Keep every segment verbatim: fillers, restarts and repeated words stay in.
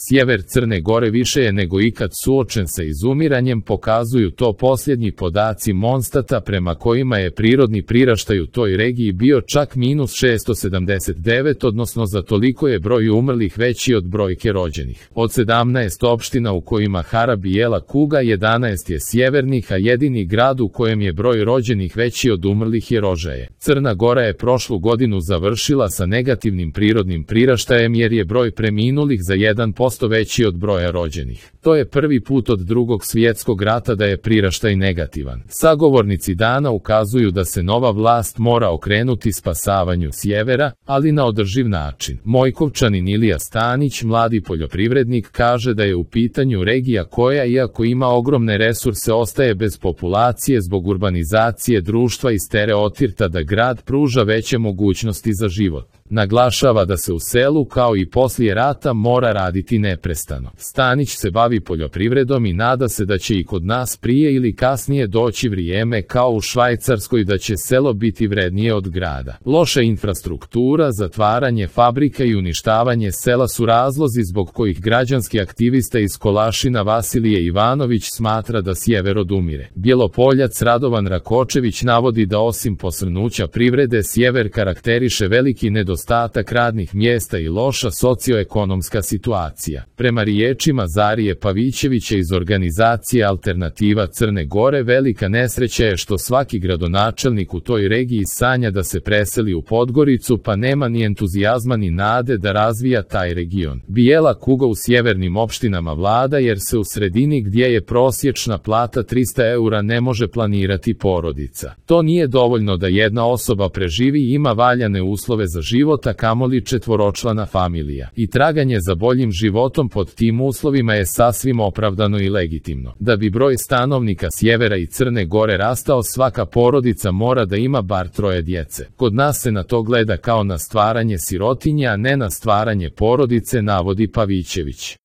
Sjever Crne Gore više je nego ikad suočen sa izumiranjem, pokazuju to posljednji podaci Monstata prema kojima je prirodni priraštaj u toj regiji bio čak minus šesto sedamdeset devet, odnosno za toliko je broj umrlih veći od brojke rođenih. Od sedamnaest opština u kojima hara bijela kuga, jedanaest je sjevernih, a jedini grad u kojem je broj rođenih veći od umrlih je Rožaje. Crna Gora je prošlu godinu završila sa negativnim prirodnim priraštajem jer je broj preminulih za jedan posto veći od broja rođenih. To je prvi put od Drugog svjetskog rata da je priraštaj negativan. Sagovornici dana ukazuju da se nova vlast mora okrenuti spasavanju sjevera, ali na održiv način. Mojkovčanin Ilija Stanić, mladi poljoprivrednik, kaže da je u pitanju regija koja, iako ima ogromne resurse, ostaje bez populacije zbog urbanizacije društva i stereotipa da grad pruža veće mogućnosti za život. Naglašava da se u selu, kao i poslije rata, mora raditi neprestano. Stanić se bavi poljoprivredom i nada se da će i kod nas prije ili kasnije doći vrijeme kao u Švajcarskoj da će selo biti vrednije od grada. Loša infrastruktura, zatvaranje fabrika i uništavanje sela su razlozi zbog kojih građanski aktivista iz Kolašina Vasilije Ivanović smatra da sjever odumire. Bjelopoljac Radovan Rakočević navodi da osim posrnuća privrede sjever karakteriše veliki nedostatak Ostatak radnih mjesta i loša socioekonomska situacija. Prema riječima Zarije Pavićevića iz organizacije Alternativa Crne Gore, velika nesreća je što svaki gradonačelnik u toj regiji sanja da se preseli u Podgoricu, pa nema ni entuzijazma ni nade da razvija taj region. Bijela kuga u sjevernim opštinama vlada jer se u sredini gdje je prosječna plata trista eura ne može planirati porodica. To nije dovoljno da jedna osoba preživi i ima valjane uslove za život, a kamoli četvoročlana familija. I traganje za boljim životom pod tim uslovima je sasvim opravdano i legitimno. Da bi broj stanovnika sjevera i Crne Gore rastao, svaka porodica mora da ima bar troje djece. Kod nas se na to gleda kao na stvaranje sirotinje, a ne na stvaranje porodice, navodi Pavićević.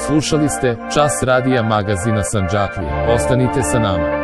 Slušali ste Čas radija magazina Sandžaklija. Ostanite sa nama.